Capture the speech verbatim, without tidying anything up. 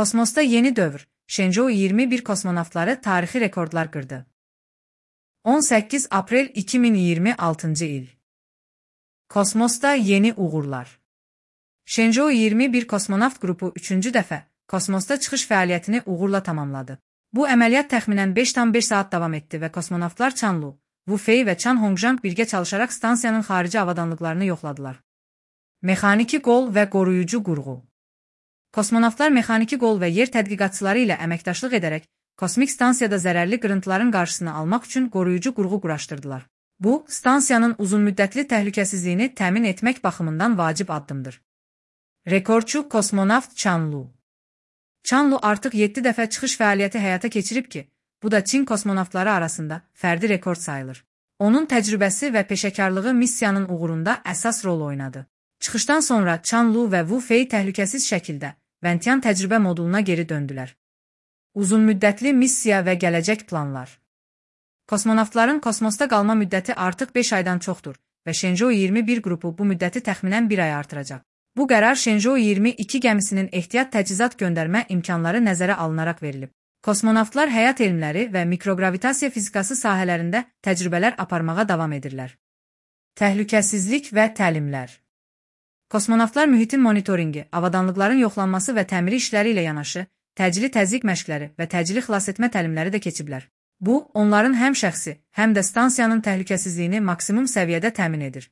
Kosmosda yeni dövr, Shenzhou iyirmi bir kosmonavtları tarixi rekordlar qırdı. on səkkiz aprel iki min iyirmi altıncı il. Kosmosda yeni uğurlar. Shenzhou iyirmi bir kosmonavt qrupu üçüncü dəfə kosmosda çıxış fəaliyyətini uğurla tamamladı. Bu əməliyyat təxminən beş tam beş saat davam etdi və kosmonavtlar Chan Lu, Wu Fei və Chan Hongzhang birgə çalışaraq stansiyanın xarici avadanlıqlarını yoxladılar. Mexaniki qol və qoruyucu qurğu. Kosmonavtlar mexaniki qol və yer tədqiqatçıları ilə əməkdaşlıq edərək kosmik stansiyada zərərli qırıntıların qarşısını almaq üçün qoruyucu qurğu quraşdırdılar. Bu, stansiyanın uzunmüddətli təhlükəsizliyini təmin etmək baxımından vacib addımdır. Rekordçu kosmonavt Chan Lu. Chan Lu artıq yeddi dəfə çıxış fəaliyyəti həyata keçirib ki, bu da Çin kosmonavtları arasında fərdi rekord sayılır. Onun təcrübəsi və peşəkarlığı missiyanın uğurunda əsas rol oynadı. Çıxışdan sonra Chan Lu və Wu Fei təhlükəsiz şəkildə Ventian təcrübə moduluna geri döndülər. Uzunmüddətli missiya və gələcək planlar. Kosmonavtların kosmosda qalma müddəti artıq beş aydan çoxdur və Shenzhou iyirmi bir qrupu bu müddəti təxminən bir ay artıracaq. Bu qərar Shenzhou iyirmi iki gəmisinin ehtiyat təchizat göndərmə imkanları nəzərə alınaraq verilib. Kosmonavtlar həyat elmləri və mikrogravitasiya fizikası sahələrində təcrübələr aparmağa davam edirlər. Təhlükəsizlik və təlimlər. Kosmonavtlar mühitin monitoringi, avadanlıqların yoxlanması və təmiri işləri ilə yanaşı, təcili təzyiq məşqləri və təcili xilasetmə təlimləri də keçiblər. Bu, onların həm şəxsi, həm də stansiyanın təhlükəsizliyini maksimum səviyyədə təmin edir.